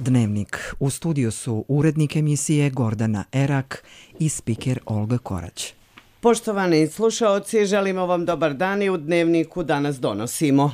Dnevnik. U studiju su urednik emisije Gordana Erak i spiker Olga Korać. Poštovani slušaoci, želimo vam dobar dan i u Dnevniku danas donosimo.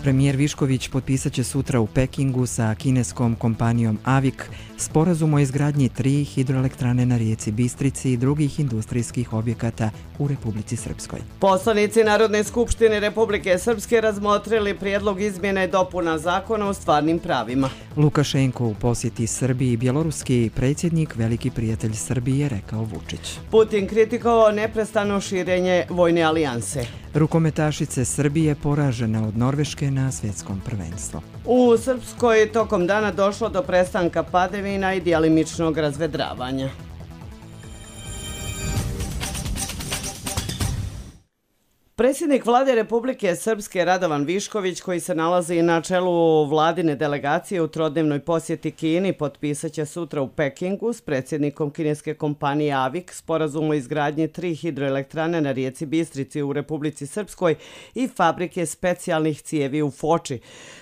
Premijer Višković potpisat će sutra u Pekingu sa kineskom kompanijom AVIK sporazum o izgradnji 3 hidroelektrane na rijeci Bistrici i drugih industrijskih objekata u Republici Srpskoj. Poslanici Narodne skupštine Republike Srpske razmotrili prijedlog izmjena i dopuna zakona o stvarnim pravima. Lukašenko u posjeti Srbiji, bjeloruski predsjednik, veliki prijatelj Srbije, rekao Vučić. Putin kritikovao neprestano širenje vojne alijanse. Rukometašice Srbije poražena od Norveške na svjetskom prvenstvu. U Srpskoj tokom dana došlo do prestanka padavina i djelimičnog razvedravanja. Predsjednik Vlade Republike Srpske Radovan Višković, koji se nalazi na čelu vladine delegacije u trodnevnoj posjeti Kini, potpisat će sutra u Pekingu s predsjednikom kineske kompanije AVIK sporazum o izgradnji 3 hidroelektrane na rijeci Bistrici u Republici Srpskoj i fabrike specijalnih cijevi u Foči.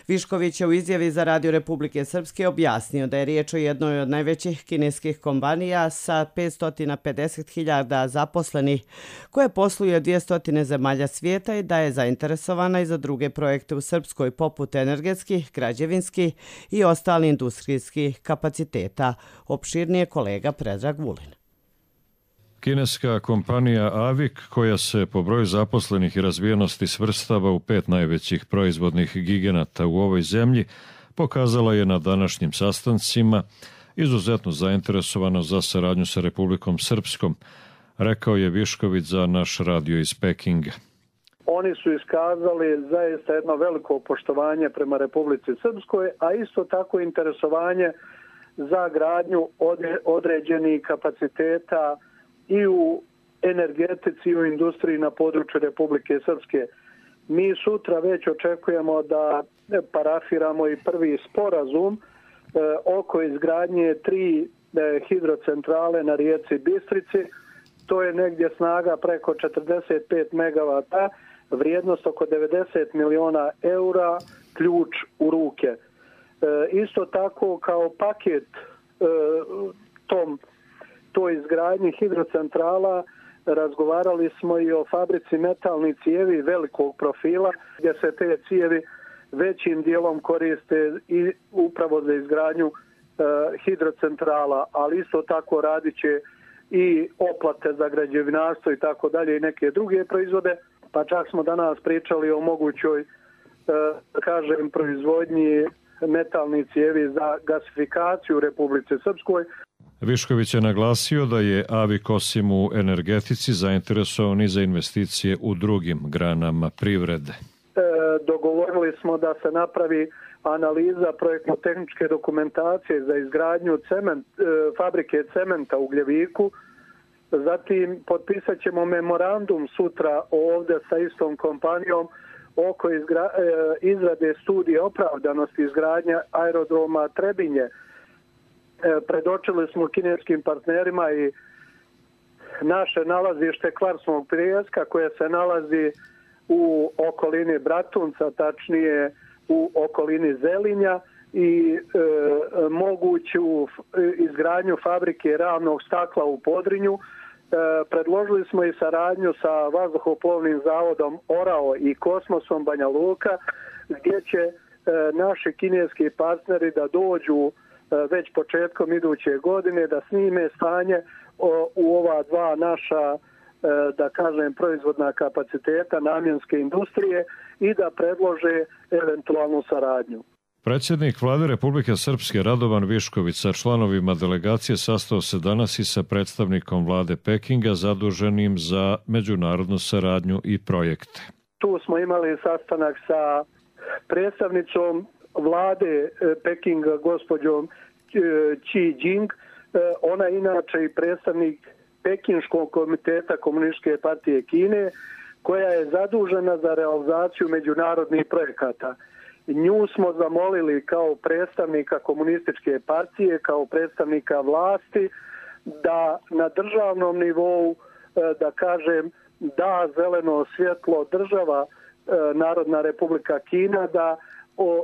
Višković je u izjavi za Radio Republike Srpske objasnio da je riječ o jednoj od najvećih kineskih kompanija sa 550.000 zaposlenih, koje posluje 200 zemalja svijeta i da je zainteresovana i za druge projekte u Srpskoj poput energetskih, građevinskih i ostalih industrijskih kapaciteta. Opširnije kolega Predrag Vulin. Kineska kompanija AVIK, koja se po broju zaposlenih i razvijenosti svrstava u 5 najvećih proizvodnih giganata u ovoj zemlji, pokazala je na današnjim sastancima izuzetno zainteresovano za saradnju sa Republikom Srpskom, rekao je Višković za naš radio iz Pekinga. Oni su iskazali zaista jedno veliko poštovanje prema Republici Srpskoj, a isto tako interesovanje za gradnju određenih kapaciteta i u energetici i u industriji na području Republike Srpske. Mi sutra već očekujemo da parafiramo i prvi sporazum oko izgradnje 3 hidrocentrale na rijeci Bistrici. To je negdje snaga preko 45 megavata, vrijednost oko 90 miliona eura, ključ u ruke. Isto tako kao paket toj izgradnji hidrocentrala razgovarali smo i o fabrici metalnih cijevi velikog profila, gdje se te cijevi većim dijelom koriste i upravo za izgradnju hidrocentrala, ali isto tako radit će i oplate za građevinarstvo i tako dalje i neke druge proizvode, pa čak smo danas pričali o mogućoj, proizvodnji metalnih cijevi za gasifikaciju u Republici Srpskoj. Višković je naglasio da je AVIK osim u energetici zainteresovan i za investicije u drugim granama privrede. Dogovorili smo da se napravi analiza projektno-tehničke dokumentacije za izgradnju fabrike cementa u Gljeviku. Zatim potpisat ćemo memorandum sutra ovdje sa istom kompanijom oko izrade studije opravdanosti izgradnja aerodroma Trebinje. Predočili smo kineskim partnerima i naše nalazište Kvarsnog pijeska koje se nalazi u okolini Bratunca, tačnije u okolini Zelinja i moguću izgradnju fabrike ravnog stakla u Podrinju. Predložili smo i saradnju sa vazduhoplovnim zavodom Orao i Kosmosom Banja Luka, gdje će naši kineski partneri da dođu već početkom iduće godine da snime stanje u ova dva naša, proizvodna kapaciteta namjenske industrije i da predlože eventualnu saradnju. Predsjednik Vlade Republike Srpske Radovan Višković sa članovima delegacije sastao se danas i sa predstavnikom Vlade Pekinga zaduženim za međunarodnu saradnju i projekte. Tu smo imali sastanak sa predstavnicom Vlade Pekinga, gospođom Xi Jing. Ona je inače i predstavnik Pekinškog komiteta Komunističke partije Kine, koja je zadužena za realizaciju međunarodnih projekata. Nju smo zamolili kao predstavnika Komunističke partije, kao predstavnika vlasti, da na državnom nivou, da zeleno svjetlo država Narodna Republika Kina da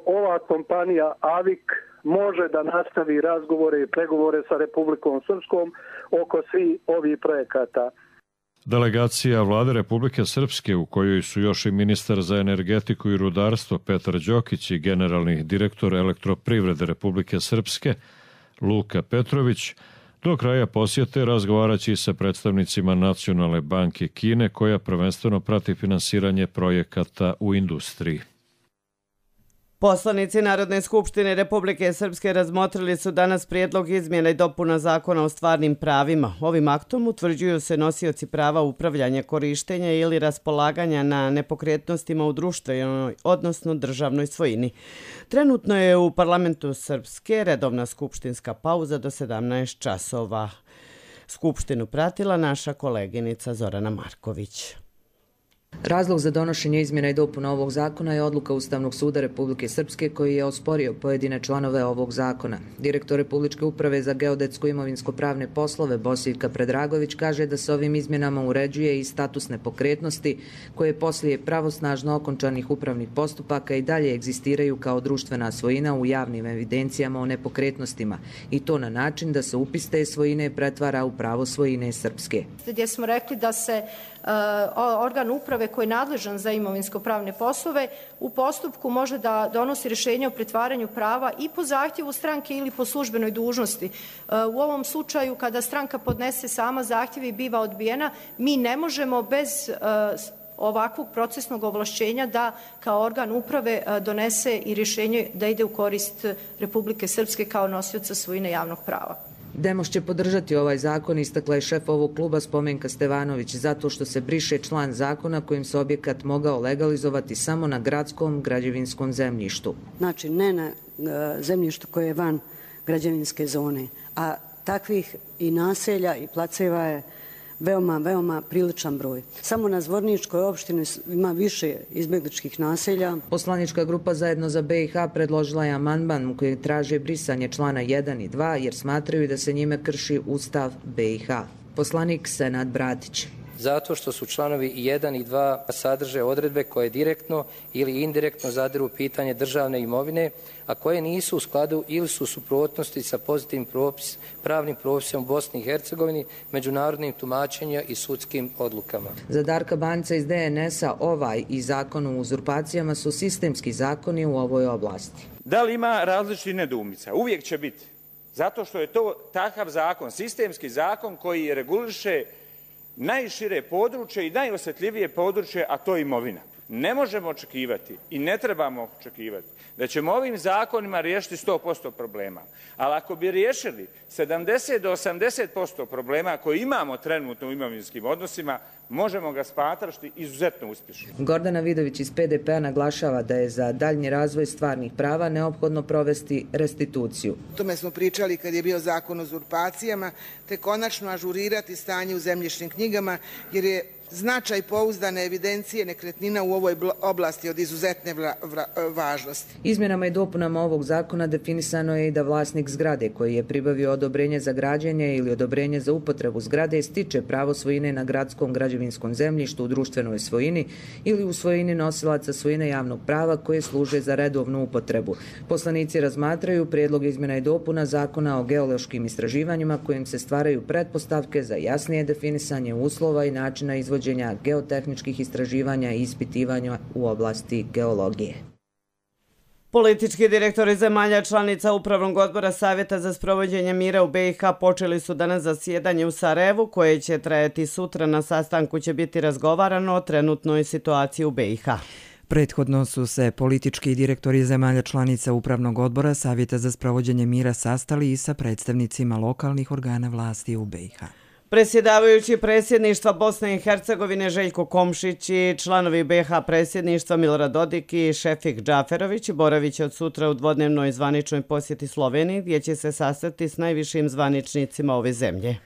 ova kompanija AVIK može da nastavi razgovore i pregovore sa Republikom Srpskom oko svih ovih projekata. Delegacija Vlade Republike Srpske, u kojoj su još i ministar za energetiku i rudarstvo Petar Đokić i generalni direktor Elektroprivrede Republike Srpske Luka Petrović, do kraja posjete razgovaraći sa predstavnicima Nacionalne banke Kine, koja prvenstveno prati finansiranje projekata u industriji. Poslanici Narodne skupštine Republike Srpske razmotrili su danas prijedlog izmjena i dopuna zakona o stvarnim pravima. Ovim aktom utvrđuju se nosioci prava upravljanja, korištenja ili raspolaganja na nepokretnostima u društvenoj, odnosno državnoj svojini. Trenutno je u parlamentu Srpske redovna skupštinska pauza do 17 časova. Skupštinu pratila naša koleginica Zorana Marković. Razlog za donošenje izmjena i dopuna ovog zakona je odluka Ustavnog suda Republike Srpske koji je osporio pojedine članove ovog zakona. Direktor Republičke uprave za geodetsko imovinsko-pravne poslove Bosivka Predragović kaže da se ovim izmjenama uređuje i status nepokretnosti koje poslije pravosnažno okončanih upravnih postupaka i dalje egzistiraju kao društvena svojina u javnim evidencijama o nepokretnostima i to na način da se upis te svojine pretvara u pravo svojine Srpske. Gdje smo rekli da se organ uprave koji je nadležan za imovinsko-pravne poslove u postupku može da donosi rješenje o pretvaranju prava i po zahtjevu stranke ili po službenoj dužnosti. U ovom slučaju kada stranka podnese sama zahtjev i biva odbijena, mi ne možemo bez ovakvog procesnog ovlašćenja da kao organ uprave donese i rješenje da ide u korist Republike Srpske kao nosioca svojine javnog prava. Demos će podržati ovaj zakon, istakla je šef ovog kluba Spomenka Stevanović, zato što se briše član zakona kojim se objekat mogao legalizovati samo na gradskom građevinskom zemljištu. Znači ne na zemljištu koje je van građevinske zone, a takvih i naselja i placeva je veoma priličan broj. Samo na Zvorničkoj opštini ima više izbjegličkih naselja. Poslanička grupa Zajedno za BiH predložila je amandman u kojem traže brisanje člana 1 i 2 jer smatraju da se njime krši Ustav BiH. Poslanik Senad Bratić. Zato što su članovi 1 i 2 sadrže odredbe koje direktno ili indirektno zadiru pitanje državne imovine, a koje nisu u skladu ili su u suprotnosti sa pozitivnim pravnim propisom u Bosni i Hercegovini, međunarodnim tumačenja i sudskim odlukama. Za Darka Banca iz DNS-a ovaj i zakon o uzurpacijama su sistemski zakoni u ovoj oblasti. Da li ima različitih nedoumica? Uvijek će biti. Zato što je to takav zakon, sistemski zakon koji reguliše najšire područje i najosjetljivije područje, a to je imovina. Ne možemo očekivati i ne trebamo očekivati da ćemo ovim zakonima riješiti 100% problema. Ali ako bi riješili 70 do 80% problema koje imamo trenutno u imovinskim odnosima, možemo ga smatrati izuzetno uspješnim. Gordana Vidović iz PDP-a naglašava da je za daljnji razvoj stvarnih prava neophodno provesti restituciju. O tome smo pričali kad je bio zakon o uzurpacijama, te konačno ažurirati stanje u zemljišnim knjigama, jer je značaj pouzdane evidencije nekretnina u ovoj oblasti od izuzetne važnosti. Izmjenama i dopunama ovog zakona definisano je i da vlasnik zgrade koji je pribavio odobrenje za građenje ili odobrenje za upotrebu zgrade stiče pravo svojine na gradskom građevinskom zemljištu u društvenoj svojini ili u svojini nosilaca svojine javnog prava koje služe za redovnu upotrebu. Poslanici razmatraju prijedlog izmjena i dopuna zakona o geološkim istraživanjima kojim se stvaraju pretpostavke za jasnije definisanje uslova i načina izvođenja geotehničkih istraživanja i ispitivanja u oblasti geologije. Politički direktori zemalja članica Upravnog odbora Savjeta za sprovođenje mira u BiH počeli su danas zasjedanje u Sarajevu koje će trajati sutra. Na sastanku će biti razgovarano o trenutnoj situaciji u BiH. Prethodno su se politički direktori zemalja članica Upravnog odbora Savjeta za sprovođenje mira sastali i sa predstavnicima lokalnih organa vlasti u BiH. Predsjedavajući predsjedništva Bosne i Hercegovine Željko Komšić i članovi BiH predsjedništva Milorad Dodik i Šefik Džaferović boravit će od sutra u dvodnevnoj zvaničnoj posjeti Sloveniji gdje će se sastati s najvišim zvaničnicima ove zemlje.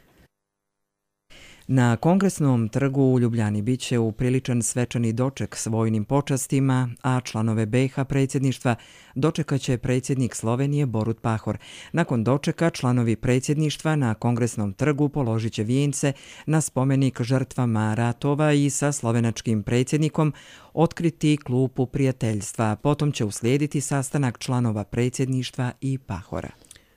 Na Kongresnom trgu u Ljubljani bit će upriličan svečani doček s vojnim počastima, a članove BiH predsjedništva dočekaće predsjednik Slovenije Borut Pahor. Nakon dočeka članovi predsjedništva na Kongresnom trgu položit će vijence na spomenik žrtvama ratova i sa slovenačkim predsjednikom otkriti klupu prijateljstva. Potom će uslijediti sastanak članova predsjedništva i Pahora.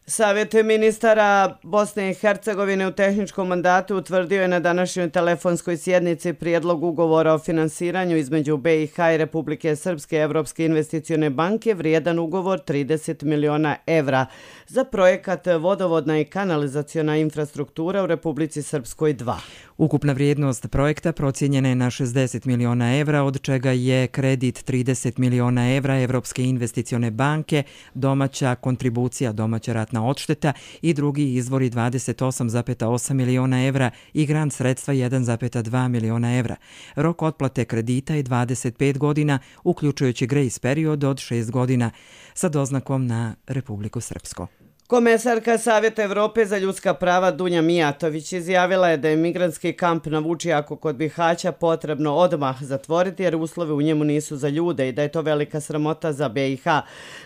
Savjet ministara Bosne i Hercegovine u tehničkom mandatu utvrdio je na današnjoj telefonskoj sjednici prijedlog ugovora o finansiranju između BiH i Republike Srpske Evropske investicione banke vrijedan ugovor 30 miliona evra za projekat vodovodna i kanalizaciona infrastruktura u Republici Srpskoj 2. Ukupna vrijednost projekta procijenjena je na 60 miliona evra, od čega je kredit 30 miliona evra Evropske investicione banke, domaća kontribucija, domaća ratna odšteta i drugi izvori 28,8 miliona evra i grant sredstva 1,2 miliona evra. Rok otplate kredita je 25 godina, uključujući grace period od 6 godina, sa doznakom na Republiku Srpsku. Komesarka Savjeta Evrope za ljudska prava Dunja Mijatović izjavila je da je migrantski kamp na Vučijaku kod Bihaća potrebno odmah zatvoriti jer uslovi u njemu nisu za ljude i da je to velika sramota za BiH.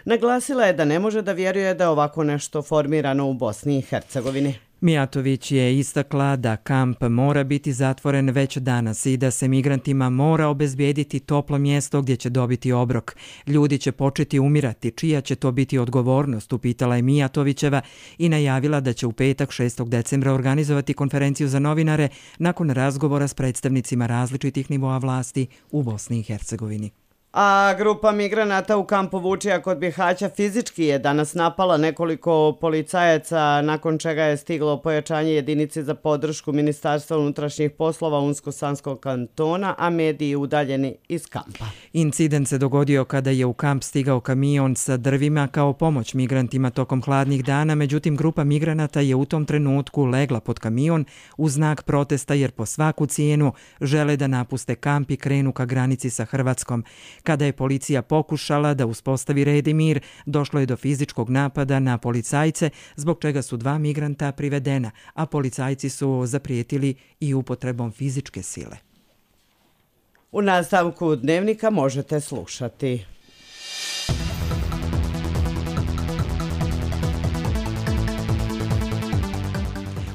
Naglasila je da ne može da vjeruje da je ovako nešto formirano u Bosni i Hercegovini. Mijatović je istakla da kamp mora biti zatvoren već danas i da se migrantima mora obezbijediti toplo mjesto gdje će dobiti obrok. Ljudi će početi umirati, čija će to biti odgovornost, upitala je Mijatovićeva i najavila da će u petak 6. decembra organizovati konferenciju za novinare nakon razgovora s predstavnicima različitih nivoa vlasti u Bosni i Hercegovini. A grupa migranata u kampu Vučija kod Bihaća fizički je danas napala nekoliko policajaca, nakon čega je stiglo pojačanje jedinice za podršku Ministarstva unutrašnjih poslova Unsko-Sanskog kantona, a mediji udaljeni iz kampa. Incident se dogodio kada je u kamp stigao kamion sa drvima kao pomoć migrantima tokom hladnih dana, međutim grupa migranata je u tom trenutku legla pod kamion u znak protesta jer po svaku cijenu žele da napuste kamp i krenu ka granici sa Hrvatskom. Kada je policija pokušala da uspostavi red i mir, došlo je do fizičkog napada na policajce, zbog čega su 2 migranta privedena, a policajci su zaprijetili i upotrebom fizičke sile. U nastavku dnevnika možete slušati.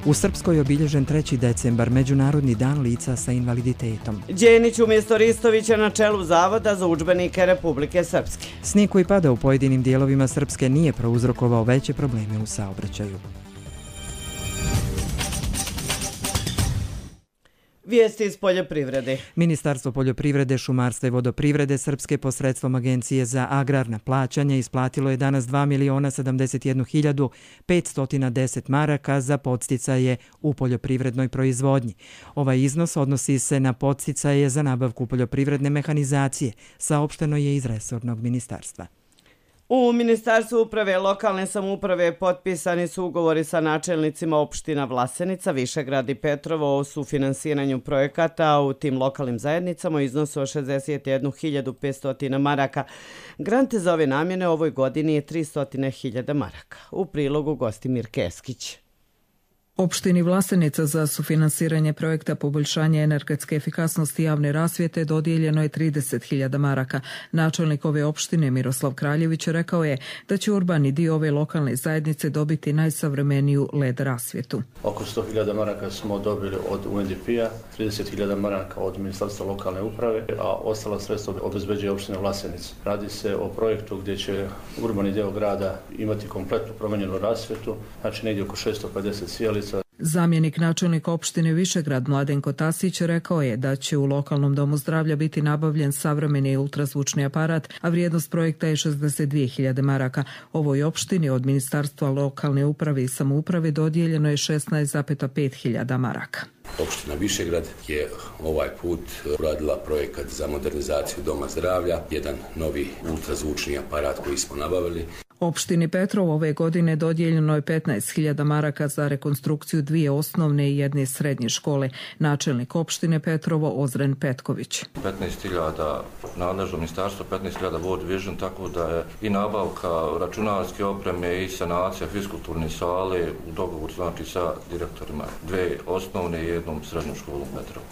U Srpskoj je obilježen 3. decembar, Međunarodni dan lica sa invaliditetom. Đenić umjesto Ristovića na čelu Zavoda za udžbenike Republike Srpske. Snijeg koji pada u pojedinim dijelovima Srpske nije prouzrokovao veće probleme u saobraćaju. Vijesti iz poljoprivrede. Ministarstvo poljoprivrede, šumarstva i vodoprivrede Srpske posredstvom Agencije za agrarna plaćanja isplatilo je danas 2.071.510 maraka za podsticaje u poljoprivrednoj proizvodnji. Ovaj iznos odnosi se na podsticaje za nabavku poljoprivredne mehanizacije, saopšteno je iz resornog ministarstva. U Ministarstvu uprave i lokalne samouprave potpisani su ugovori sa načelnicima opština Vlasenica, Višegrad i Petrovo o sufinansiranju projekata u tim lokalnim zajednicama u iznosu od 61.500 maraka. Grant za ove namjene ovoj godini je 300.000 maraka. U prilogu Gostimir Keskić. Opštini Vlasenica za sufinansiranje projekta poboljšanja energetske efikasnosti javne rasvjete dodijeljeno je 30.000 maraka. Načelnik ove opštine Miroslav Kraljević rekao je da će urbani dio ove lokalne zajednice dobiti najsavremeniju LED rasvjetu. Oko 100.000 maraka smo dobili od UNDP-a, 30.000 maraka od Ministarstva lokalne uprave, a ostala sredstva obezbeđuje opština Vlasenica. Radi se o projektu gdje će urbani dio grada imati kompletnu promijenjenu rasvjetu, znači negdje oko 650 sjelica. Zamjenik načelnika opštine Višegrad Mladenko Tasić rekao je da će u lokalnom domu zdravlja biti nabavljen savremeni ultrazvučni aparat, a vrijednost projekta je 62.000 maraka. Ovoj opštini od Ministarstva lokalne uprave i samouprave dodijeljeno je 16.500 maraka. Opština Višegrad je ovaj put uradila projekat za modernizaciju doma zdravlja, jedan novi ultrazvučni aparat koji smo nabavili. Opštini Petrov ove godine dodijeljeno je 15.000 maraka za rekonstrukciju 2 osnovne i 1 srednje škole. Načelnik opštine Petrovo Ozren Petković. 15.000 nadležno ministarstvo, 15.000 World Vision, tako da je i nabavka računarske opreme i sanacija fiskulturne sale u dogovoru znači sa direktorima 2 osnovne i 1 srednju školu Petrovo.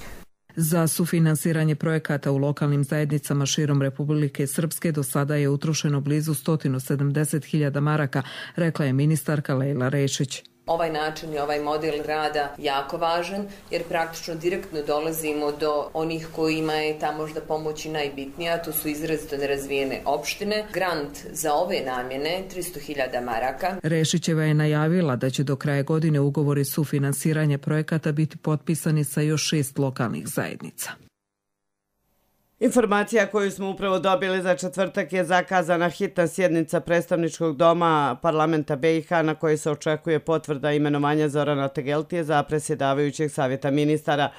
Za sufinansiranje projekata u lokalnim zajednicama širom Republike Srpske do sada je utrošeno blizu 170.000 maraka, rekla je ministarka Lejla Rešić. Ovaj način i ovaj model rada jako važan jer praktično direktno dolazimo do onih kojima je ta možda pomoć i najbitnija, to su izrazito nerazvijene opštine. Grant za ove namjene 300.000 maraka. Rešićeva je najavila da će do kraja godine ugovori sufinansiranja projekata biti potpisani sa još 6 lokalnih zajednica. Informacija koju smo upravo dobili za četvrtak je zakazana hitna sjednica predstavničkog doma parlamenta BiH na kojoj se očekuje potvrda imenovanja Zorana Tegeltije za predsjedavajućeg savjeta ministara.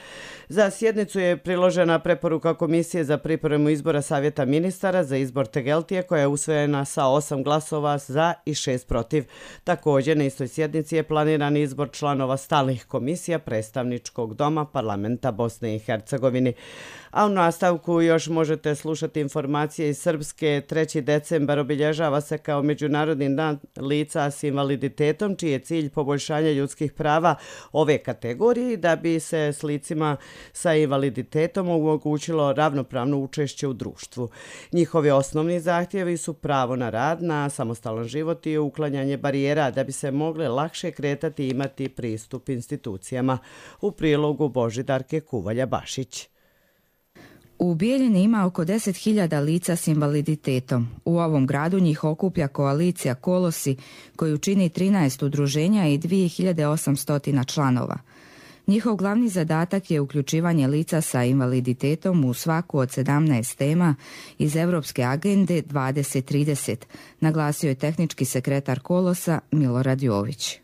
Za sjednicu je priložena preporuka Komisije za pripremu izbora savjeta ministara za izbor Tegeltije koja je usvojena sa 8 glasova za i 6 protiv. Također na istoj sjednici je planiran izbor članova stalnih komisija predstavničkog doma parlamenta Bosne i Hercegovine. A u nastavku još možete slušati informacije iz Srpske. 3. decembar obilježava se kao Međunarodni dan lica s invaliditetom, čiji je cilj poboljšanje ljudskih prava ove kategorije da bi se s licima sa invaliditetom omogućilo ravnopravno učešće u društvu. Njihovi osnovni zahtjevi su pravo na rad, na samostalan život i uklanjanje barijera da bi se mogle lakše kretati i imati pristup institucijama. U prilogu Božidarke Kuvalja-Bašić. U Bijeljini ima oko 10.000 lica s invaliditetom. U ovom gradu njih okuplja koalicija Kolosi, koju čini 13 udruženja i 2800 članova. Njihov glavni zadatak je uključivanje lica sa invaliditetom u svaku od 17 tema iz Europske agende 2030, naglasio je tehnički sekretar Kolosa Milorad Jović.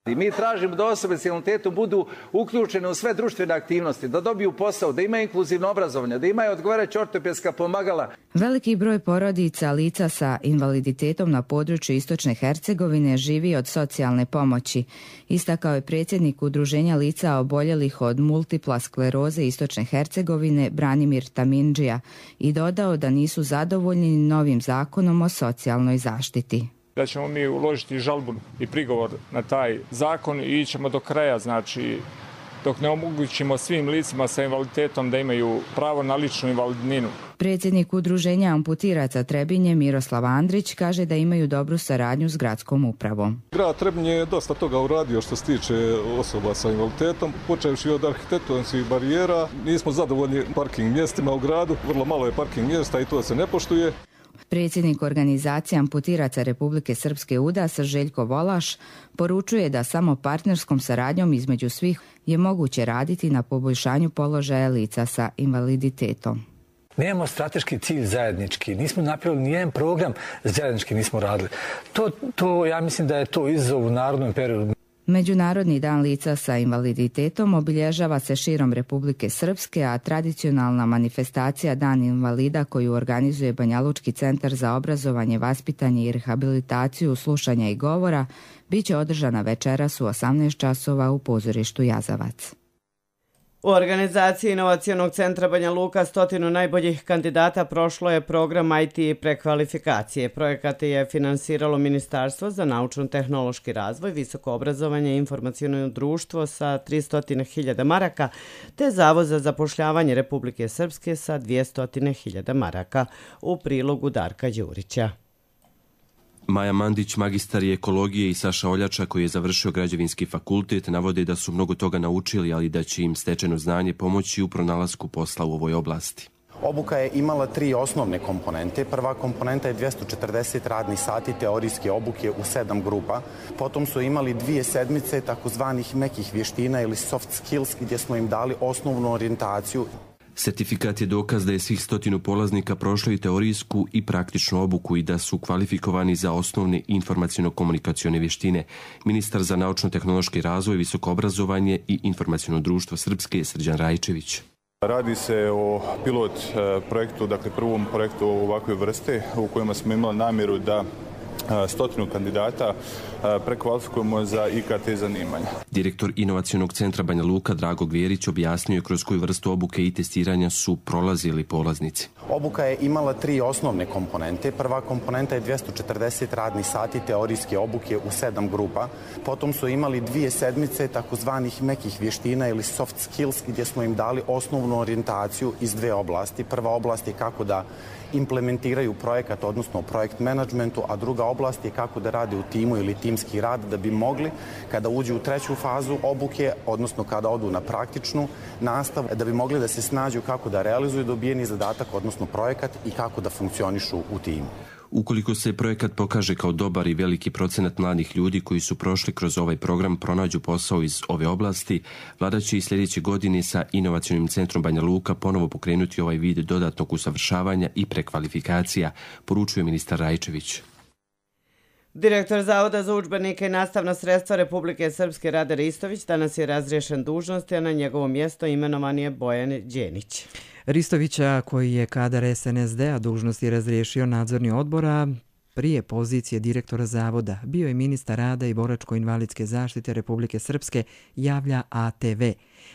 I mi tražimo da osobe s invaliditetom budu uključene u sve društvene aktivnosti, da dobiju posao, da imaju inkluzivno obrazovanje, da imaju odgovarajuća ortopedska pomagala. Veliki broj porodica lica sa invaliditetom na području Istočne Hercegovine živi od socijalne pomoći, istakao je predsjednik Udruženja lica oboljelih od multipla skleroze Istočne Hercegovine Branimir Tamindžija i dodao da nisu zadovoljni novim zakonom o socijalnoj zaštiti. Da ćemo mi uložiti žalbu i prigovor na taj zakon i ićemo do kraja, znači dok ne omogućimo svim licima sa invaliditetom da imaju pravo na ličnu invalidninu. Predsjednik Udruženja amputiraca Trebinje Miroslav Andrić kaže da imaju dobru saradnju s gradskom upravom. Grad Trebinje je dosta toga uradio što se tiče osoba sa invaliditetom, počevši od arhitektonskih barijera. Nismo zadovoljni parking mjestima u gradu, vrlo malo je parking mjesta i to se ne poštuje. Predsjednik organizacije amputiraca Republike Srpske UDAS Željko Volaš poručuje da samo partnerskom saradnjom između svih je moguće raditi na poboljšanju položaja lica sa invaliditetom. Nemamo strateški cilj zajednički, nismo napravili nijedan program zajednički nismo radili. Ja mislim da je to izazov u narodnom periodu. Međunarodni dan lica sa invaliditetom obilježava se širom Republike Srpske, a tradicionalna manifestacija Dan invalida koju organizuje Banjalučki centar za obrazovanje, vaspitanje i rehabilitaciju slušanja i govora bit će održana večeras u 18 časova u pozorištu Jazavac. U organizaciji Inovacionog centra Banja Luka 100 najboljih kandidata prošlo je program IT prekvalifikacije. Projekat je finansiralo Ministarstvo za naučno-tehnološki razvoj, visoko obrazovanje i informaciono društvo sa 300.000 maraka, te Zavod za zapošljavanje Republike Srpske sa 200.000 maraka. U prilogu Darka Đurića. Maja Mandić, magistar je ekologije, i Saša Oljača, koji je završio građevinski fakultet, navode da su mnogo toga naučili, ali da će im stečeno znanje pomoći u pronalasku posla u ovoj oblasti. Obuka je imala 3 osnovne komponente. Prva komponenta je 240 radnih sati teorijske obuke u 7 grupa. Potom su imali 2 sedmice takozvanih mekih vještina ili soft skills gdje smo im dali osnovnu orijentaciju. Sertifikat je dokaz da je svih 100 polaznika prošlo i teorijsku i praktičnu obuku i da su kvalifikovani za osnovne informaciono-komunikacione vještine. Ministar za naučno-tehnološki razvoj, visoko obrazovanje i informaciono društvo Srpske Srđan Rajčević. Radi se o pilot projektu, dakle prvom projektu ovakve vrste u kojima smo imali namjeru da 100 kandidata prekvalifikujemo za IKT zanimanja. Direktor Inovacionog centra Banja Luka Drago Gvjerić objasnio je kroz koju vrstu obuke i testiranja su prolazili polaznici. Obuka je imala 3 osnovne komponente. Prva komponenta je 240 radnih sati teorijske obuke u 7 grupa. Potom su imali 2 sedmice takozvanih mekih vještina ili soft skills gdje smo im dali osnovnu orijentaciju iz 2 oblasti. Prva oblast je kako da implementiraju projekat, odnosno projekt managementu, a druga oblast je kako da rade u timu ili timski rad da bi mogli, kada uđu u 3. fazu obuke, odnosno kada odu na praktičnu nastavu, da bi mogli da se snađu kako da realizuju dobijeni zadatak, odnosno projekat i kako da funkcionišu u timu. Ukoliko se projekat pokaže kao dobar i veliki procenat mladih ljudi koji su prošli kroz ovaj program pronađu posao iz ove oblasti, vlada će i sljedeće godine sa Inovacionim centrom Banja Luka ponovo pokrenuti ovaj vid dodatnog usavršavanja i prekvalifikacija, poručuje ministar Rajčević. Direktor Zavoda za udžbenike i nastavna sredstva Republike Srpske Rade Ristović danas je razriješen dužnosti, a na njegovo mjesto imenovan je Bojan Đenić. Ristovića, koji je kadar SNSD-a, dužnosti razriješio nadzorni odbora prije pozicije direktora Zavoda, bio je ministar rada i boračko-invalidske zaštite Republike Srpske, javlja ATV.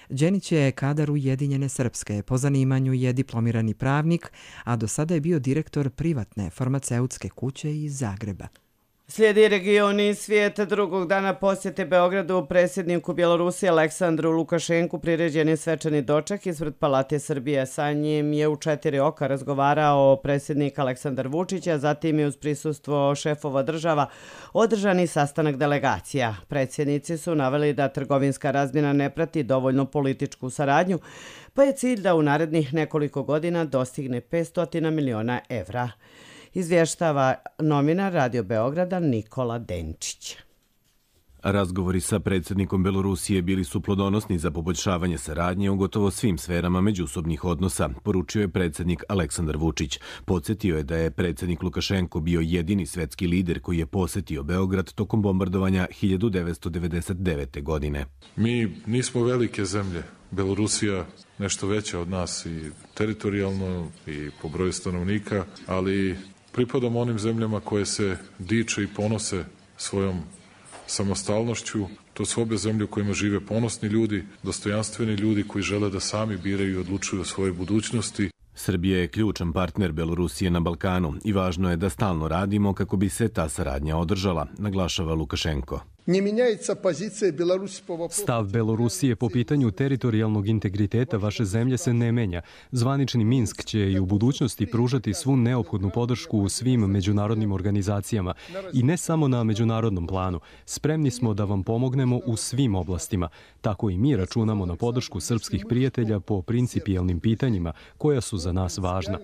Đenić je kadar Ujedinjene Srpske, po zanimanju je diplomirani pravnik, a do sada je bio direktor privatne farmaceutske kuće iz Zagreba. Slijedi region i svijet. Drugog dana posjete Beogradu predsjedniku Bjelorusije Aleksandru Lukašenku priređen je svečani doček ispred Palate Srbije. Sa njim je u 4 oka razgovarao predsjednik Aleksandar Vučić, a zatim je uz prisustvo šefova država održani sastanak delegacija. Predsjednici su naveli da trgovinska razmjena ne prati dovoljno političku saradnju, pa je cilj da u narednih nekoliko godina dostigne 500 miliona evra. Izvještava novinar Radio Beograda Nikola Denčić. Razgovori sa predsjednikom Belorusije bili su plodonosni za poboljšavanje saradnje u gotovo svim sferama međusobnih odnosa, poručio je predsjednik Aleksandar Vučić. Podsjetio je da je predsjednik Lukašenko bio jedini svetski lider koji je posjetio Beograd tokom bombardovanja 1999. godine. Mi nismo velike zemlje. Belorusija nešto veća od nas i teritorijalno i po broju stanovnika, ali pripadamo onim zemljama koje se diče i ponose svojom samostalnošću. To su obe zemlje u kojima žive ponosni ljudi, dostojanstveni ljudi koji žele da sami biraju i odlučuju o svojoj budućnosti. Srbija je ključan partner Belorusije na Balkanu i važno je da stalno radimo kako bi se ta saradnja održala, naglašava Lukašenko. Stav Belorusije po pitanju teritorijalnog integriteta vaše zemlje se ne menja. Zvanični Minsk će i u budućnosti pružati svu neophodnu podršku u svim međunarodnim organizacijama i ne samo na međunarodnom planu. Spremni smo da vam pomognemo u svim oblastima. Tako i mi računamo na podršku srpskih prijatelja po principijelnim pitanjima koja su za nas važna.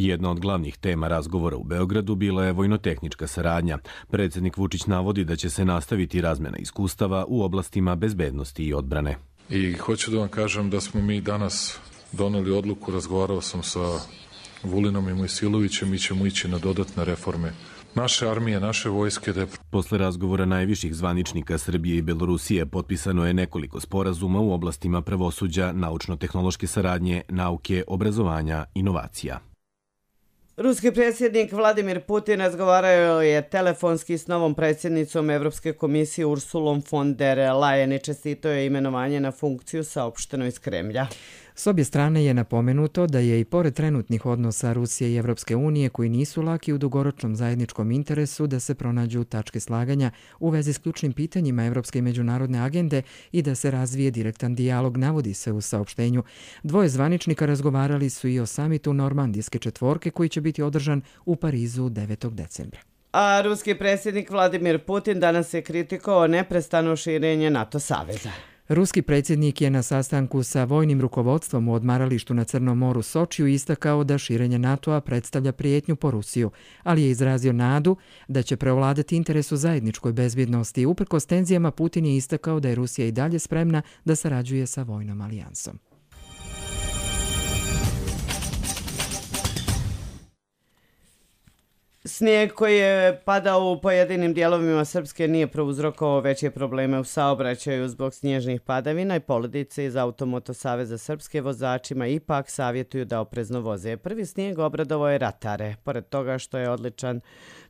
Jedna od glavnih tema razgovora u Beogradu bila je vojnotehnička saradnja. Predsjednik Vučić navodi da će se nastaviti razmjena iskustava u oblastima bezbednosti i odbrane. I hoću da vam kažem da smo mi danas doneli odluku, razgovarao sam sa Vulinom i Mojsilovićem, mi ćemo ići na dodatne reforme naše armije, naše vojske. Posle razgovora najviših zvaničnika Srbije i Belorusije potpisano je nekoliko sporazuma u oblastima pravosuđa, naučno-tehnološke saradnje, nauke, obrazovanja, inovacija. Ruski predsjednik Vladimir Putin razgovarao je telefonski s novom predsjednicom Evropske komisije Ursulom von der Leyen i čestitao je imenovanje na funkciju, saopšteno iz Kremlja. S obje strane je napomenuto da je i pored trenutnih odnosa Rusije i Evropske unije, koji nisu laki, u dugoročnom zajedničkom interesu da se pronađu tačke slaganja u vezi s ključnim pitanjima evropske i međunarodne agende i da se razvije direktan dijalog, navodi se u saopštenju. Dvoje zvaničnika razgovarali su i o samitu Normandijske četvorke koji će biti održan u Parizu 9. decembra. A ruski predsjednik Vladimir Putin danas je kritikovao neprestano širenje NATO saveza. Ruski predsjednik je na sastanku sa vojnim rukovodstvom u odmaralištu na Crnom moru Sočiju istakao da širenje NATO-a predstavlja prijetnju po Rusiju, ali je izrazio nadu da će preovladati interes u zajedničkoj bezbjednosti. Uprkos tenzijama, Putin je istakao da je Rusija i dalje spremna da sarađuje sa vojnom alijansom. Snijeg koji je padao u pojedinim dijelovima Srpske nije prouzrokovao veće probleme u saobraćaju zbog snježnih padavina i poledice. Iz Automoto Saveza Srpske vozačima ipak savjetuju da oprezno voze. Prvi snijeg obradovao je ratare. Pored toga što je odličan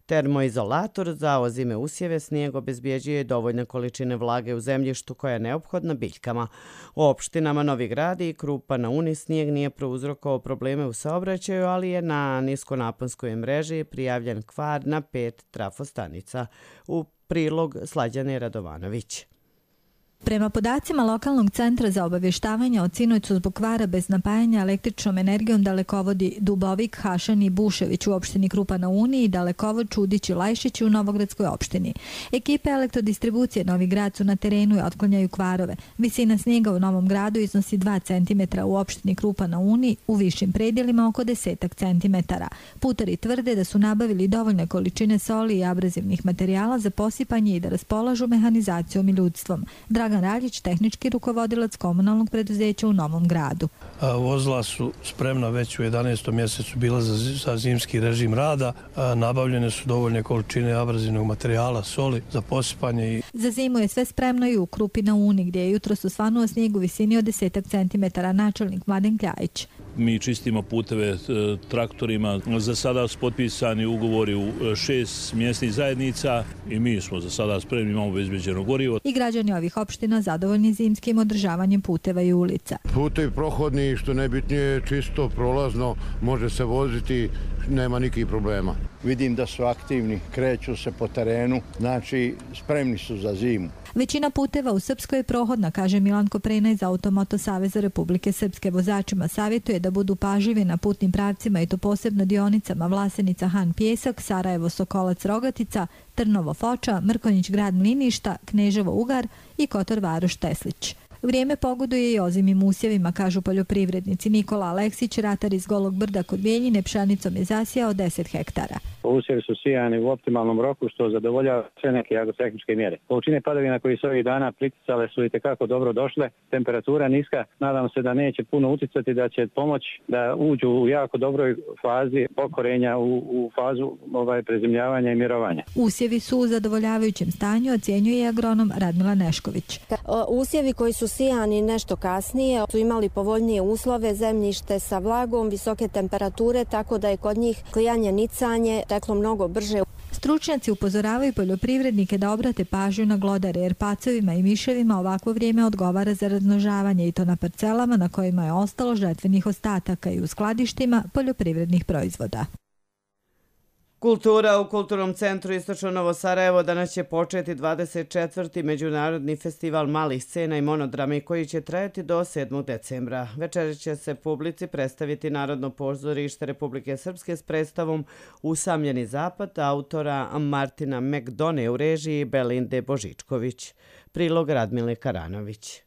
termoizolator za ozime usjeve, snijeg obezbjeđuje dovoljne količine vlage u zemljištu koja je neophodna biljkama. U opštinama Novi Grad i Krupa na Uni snijeg nije prouzrokovao probleme u saobraćaju, ali je na niskonaponskoj mreži prijavljen kvar na 5 trafostanica. U prilog Slađane Radovanović. Prema podacima lokalnog centra za obavještavanje o sinoć su zbog kvara bez napajanja električnom energijom dalekovodi Dubovik, Hašan i Bušević u opštini Krupa na Uni i dalekovod Čudić i Lajšić u Novogradskoj opštini. Ekipe elektrodistribucije Novi Grad su na terenu i otklanjaju kvarove. Visina snijega u Novom Gradu iznosi 2 cm u opštini Krupa na Uni, u višim predjelima oko 10 cm. Putari tvrde da su nabavili dovoljne količine soli i abrazivnih materijala za posipanje i da raspolažu mehanizacijom i ljudstvom. Dragan Raljić, tehnički rukovodilac komunalnog preduzeća u Novom Gradu. Vozila su spremna već u 11. mjesecu bila za zimski režim rada. Nabavljene su dovoljne količine abrazivnog materijala, soli za posipanje. Za zimu je sve spremno i u Krupi na Uni, gdje je jutros osvanuo snijeg u visini od 10 cm. Načelnik Mladen Kljajić. Mi čistimo puteve traktorima. Za sada su potpisani ugovori u 6 mjesnih zajednica i mi smo za sada spremni, imamo obezbeđeno gorivo. I građani ovih opština zadovoljni zimskim održavanjem puteva i ulica. Putevi prohodni, što najbitnije, čisto, prolazno, može se voziti, nema nikakvih problema. Vidim da su aktivni, kreću se po terenu, znači spremni su za zimu. Većina puteva u Srpskoj je prohodna, kaže Milan Koprena iz Automoto Saveza Republike Srpske. Vozačima savjetuje da budu pažljivi na putnim pravcima i to posebno dionicama Vlasenica Han Pjesak, Sarajevo Sokolac Rogatica, Trnovo Foča, Mrkonjić Grad Mliništa, Kneževo Ugar i Kotor Varoš Teslić. Vrijeme pogoduje i ozimim usjevima, kažu poljoprivrednici. Nikola Aleksić, ratar iz Golog Brda kod Bijeljine, pšenicom je zasijao 10 hektara. Usjevi su sijani u optimalnom roku, što zadovoljava sve neke agrotehničke mjere. Količine padavina koji su ovih dana priticale su itekako dobro došle. Temperatura niska, nadam se da neće puno uticati, da će pomoći da uđu u jako dobroj fazi pokorenja, u fazu prezimljavanja i mirovanja. Usjevi su u zadovoljavajućem stanju, ocjenjuje agronom Radmila Nešković. Usjevi koji su sijani nešto kasnije su imali povoljnije uslove, zemljište sa vlagom, visoke temperature, tako da je kod njih klijanje, nicanje teklo mnogo brže. Stručnjaci upozoravaju poljoprivrednike da obrate pažnju na glodare, jer pacovima i miševima ovakvo vrijeme odgovara za razmnožavanje i to na parcelama na kojima je ostalo žetvenih ostataka i u skladištima poljoprivrednih proizvoda. Kultura u Kulturnom centru Istočno Novo Sarajevo danas će početi 24. Međunarodni festival malih scena i monodrami koji će trajati do 7. decembra. Večer će se publici predstaviti Narodno pozorište Republike Srpske s predstavom Usamljeni zapad autora Martina McDone u režiji Belinde Božičković. Prilog Radmile Karanović.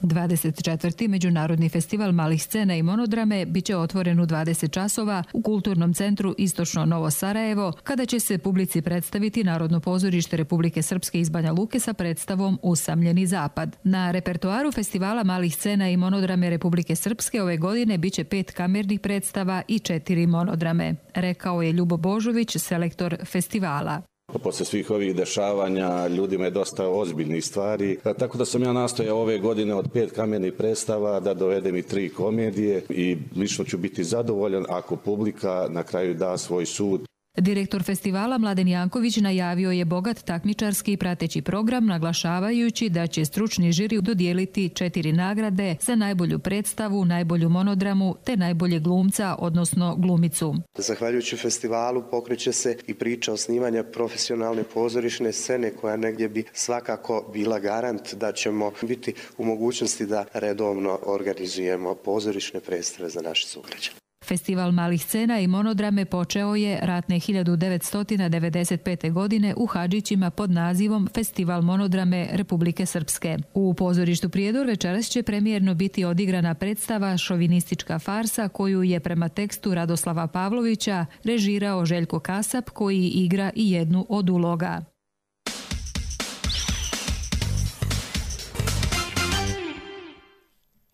24. Međunarodni festival malih scena i monodrame biće otvoren u 20 časova u Kulturnom centru Istočno Novo Sarajevo, kada će se publici predstaviti Narodno pozorište Republike Srpske iz Banja Luke sa predstavom Usamljeni zapad. Na repertoaru festivala malih scena i monodrame Republike Srpske ove godine biće 5 kamernih predstava i 4 monodrame, rekao je Ljubo Božović, selektor festivala. Posle svih ovih dešavanja ljudima je dosta ozbiljnih stvari, tako da sam ja nastojao ove godine od 5 kamernih predstava da dovedem i 3 komedije i lično ću biti zadovoljan ako publika na kraju da svoj sud. Direktor festivala Mladen Janković najavio je bogat takmičarski i prateći program, naglašavajući da će stručni žiri dodijeliti 4 nagrade za najbolju predstavu, najbolju monodramu te najbolje glumca, odnosno glumicu. Zahvaljujući festivalu pokreće se i priča osnivanja profesionalne pozorišne scene koja negdje bi svakako bila garant da ćemo biti u mogućnosti da redovno organizujemo pozorišne predstave za naše sugrađane. Festival malih scena i monodrame počeo je ratne 1995. godine u Hadžićima pod nazivom Festival monodrame Republike Srpske. U pozorištu Prijedor večeras će premijerno biti odigrana predstava Šovinistička farsa koju je prema tekstu Radoslava Pavlovića režirao Željko Kasap koji igra i jednu od uloga.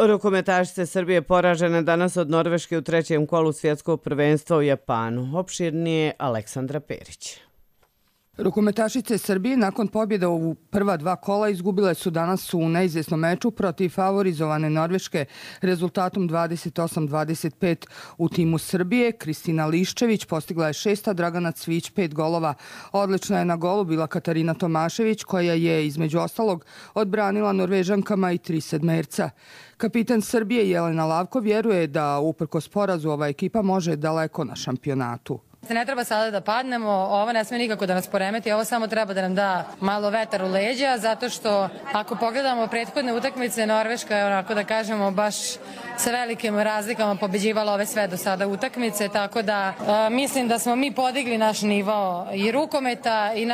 Rukometašice Srbije poražene danas od Norveške u trećem kolu svjetskog prvenstva u Japanu. Opširnije Aleksandra Perić. Rukometašice Srbije nakon pobjede u prva dva kola izgubile su danas u neizvjesnom meču protiv favorizovane Norveške rezultatom 28-25 u timu Srbije. Kristina Liščević postigla je 6, Dragana Cvić 5 golova. Odlična je na golu bila Katarina Tomašević koja je između ostalog odbranila Norvežankama i 3 sedmerca. Kapitan Srbije Jelena Lavko vjeruje da uprkos porazu ova ekipa može daleko na šampionatu. Ne treba sada da padnemo, ovo ne sme nikako da nas poremeti, ovo samo treba da nam da malo vetar u leđa, zato što ako pogledamo prethodne utakmice, Norveška je onako da kažemo baš sa velikim razlikama pobeđivala ove sve do sada utakmice, tako da mislim da smo mi podigli naš nivo i rukometa i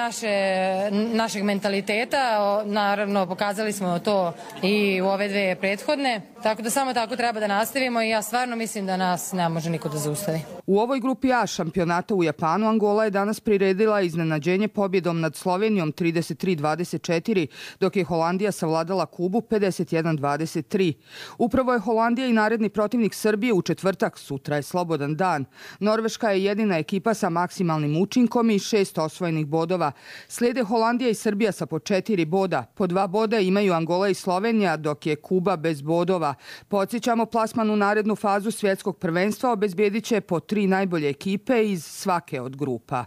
našeg mentaliteta, naravno pokazali smo to i u ove dve prethodne, tako da samo tako treba da nastavimo i ja stvarno mislim da nas ne može niko da zaustavi. U ovoj grupi A šampionata u Japanu Angola je danas priredila iznenađenje pobjedom nad Slovenijom 33-24, dok je Holandija savladala Kubu 51-23. Upravo je Holandija i naredni protivnik Srbije u četvrtak, sutra je slobodan dan. Norveška je jedina ekipa sa maksimalnim učinkom i 6 osvojenih bodova. Slijede Holandija i Srbija sa po 4 boda. Po 2 boda imaju Angola i Slovenija, dok je Kuba bez bodova. Podsjećamo, plasman u narednu fazu svjetskog prvenstva obezbijedit će po 3 najbolje ekipe iz svake od grupa.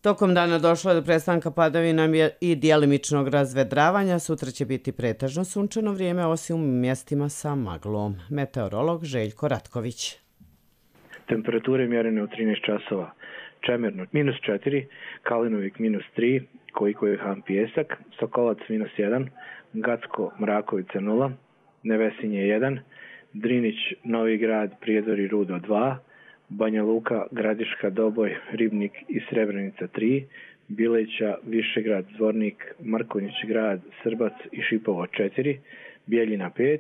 Tokom dana došlo je do prestanka padavina i djelimičnog razvedravanja. Sutra će biti pretežno sunčano vrijeme, osim u mjestima sa maglom. Meteorolog Željko Ratković. Temperature mjerene u 13 časova. Čemerno -4, Kalinovik -3, Kojikovihan Pijesak, Sokolac -1, Gacko Mrakovica 0, Nevesinje 1, Drinić, Novi Grad, Prijedor Rudo 2, Banja Luka, Gradiška, Doboj, Ribnik i Srebrenica 3, Bileća, Višegrad, Zvornik, Markonjić Grad, Srbac i Šipovo 4, Bijeljina 5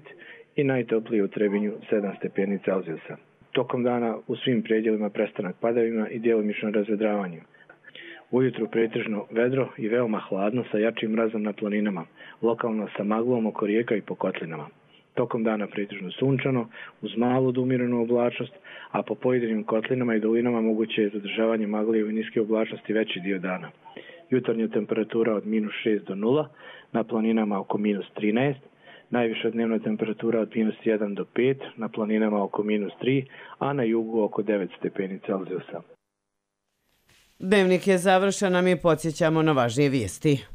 i najtoplije u Trebinju 7 stepeni Celzijusa. Tokom dana u svim predjelima prestanak padavina i djelomično razvedravanje. Ujutru pretežno vedro i veoma hladno sa jačim mrazom na planinama, lokalno sa maglom oko rijeka i po kotlinama. Tokom dana pretežno sunčano, uz malu do umjerenu oblačnost, a po pojedinim kotlinama i dolinama moguće je zadržavanje magle i niske oblačnosti veći dio dana. Jutarnja temperatura od -6 do 0, na planinama oko -13, najviša dnevna temperatura od -1 do 5, na planinama oko -3, a na jugu oko 9 stepeni Celzijusa. Dnevnik je završen, a mi podsjećamo na važnije vijesti.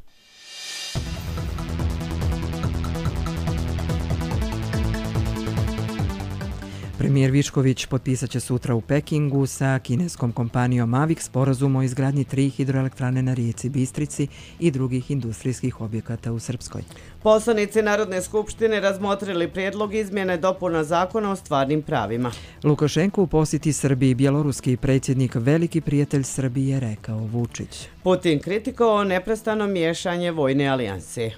Premijer Višković potpisat će sutra u Pekingu sa kineskom kompanijom AVIK sporazum o izgradnji 3 hidroelektrane na rijeci Bistrici i drugih industrijskih objekata u Srpskoj. Poslanici Narodne skupštine razmotrili prijedlog izmjene dopuna zakona o stvarnim pravima. Lukašenko u posjeti Srbiji, bjeloruski predsjednik, veliki prijatelj Srbije, rekao Vučić. Putin kritikovao neprestano miješanje vojne alijanse.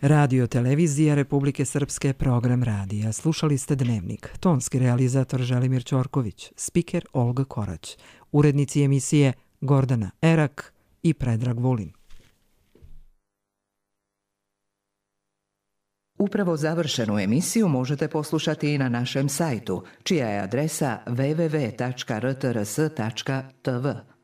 Radio televizija Republike Srpske, program radija. Slušali ste Dnevnik. Tonski realizator Želimir Ćorković, spiker Olga Korać, urednici emisije Gordana Erak i Predrag Vulin. Upravo završenu emisiju možete poslušati i na našem sajtu, čija je adresa www.rtrs.tv.